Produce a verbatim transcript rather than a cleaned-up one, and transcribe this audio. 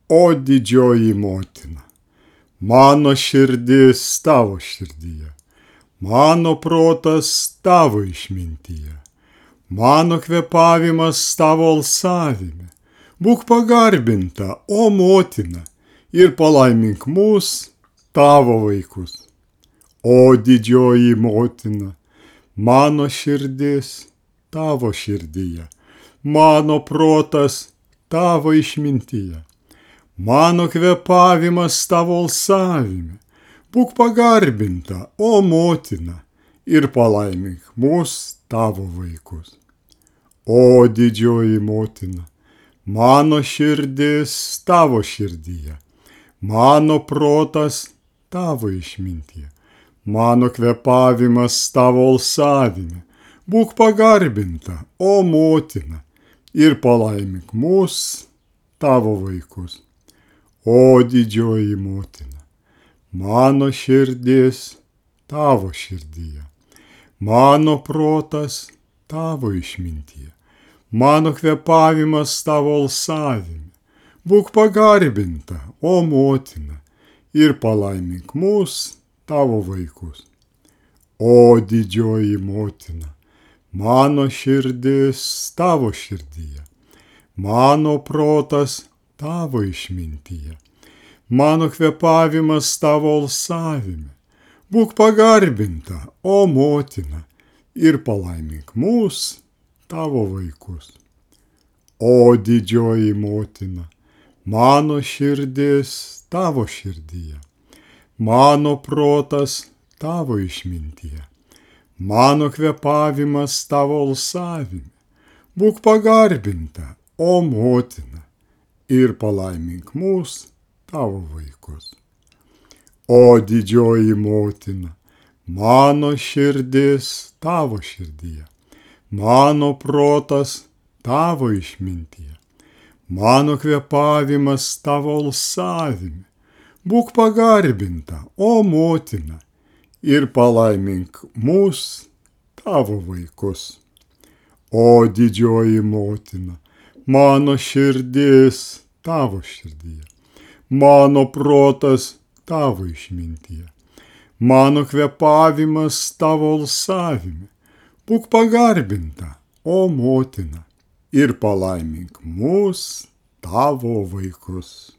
O didžioji motina, mano širdis tavo širdyje, mano protas tavo išmintyje, mano kvėpavimas tavo alsavime. Būk pagarbinta, o motina, ir palaimink mus, tavo vaikus. O didžioji motina, mano širdis tavo širdyje, mano protas tavo išmintyje, mano kvėpavimas tavo alsavime. Būk pagarbinta, o motina, ir palaimink mus, tavo vaikus. O didžioji motina, mano širdis tavo širdyje, mano protas tavo išmintyje, mano kvėpavimas tavo alsavime. Būk pagarbinta, o motina, ir palaimink mus, tavo vaikus. O didžioji motina, mano širdis tavo širdyje, mano protas tavo išmintyje, mano kvėpavimas tavo alsavime. Būk pagarbinta, o motina, ir palaimink mus, tavo vaikus. O didžioji motina, mano širdis tavo širdyje, mano protas tavo išmintyje, mano kvėpavimas tavo alsavime. Būk pagarbinta, o motina, ir palaimink mus, tavo vaikus. O didžioji motina, mano širdis tavo širdyje, mano protas tavo išmintyje, mano kvėpavimas tavo alsavime. Būk pagarbinta, o motina, ir palaimink mus, tavo vaikus. O didžioji motina, mano širdis tavo širdyje, mano protas tavo išmintyje, mano kvėpavimas tavo alsavime. Būk pagarbinta, o motina, ir palaimink mus, tavo vaikus. O didžioji motina, mano širdis tavo širdyje, mano protas tavo išmintyje, mano kvėpavimas tavo alsavime. Būk pagarbinta, o motina, ir palaimink mus, tavo vaikus.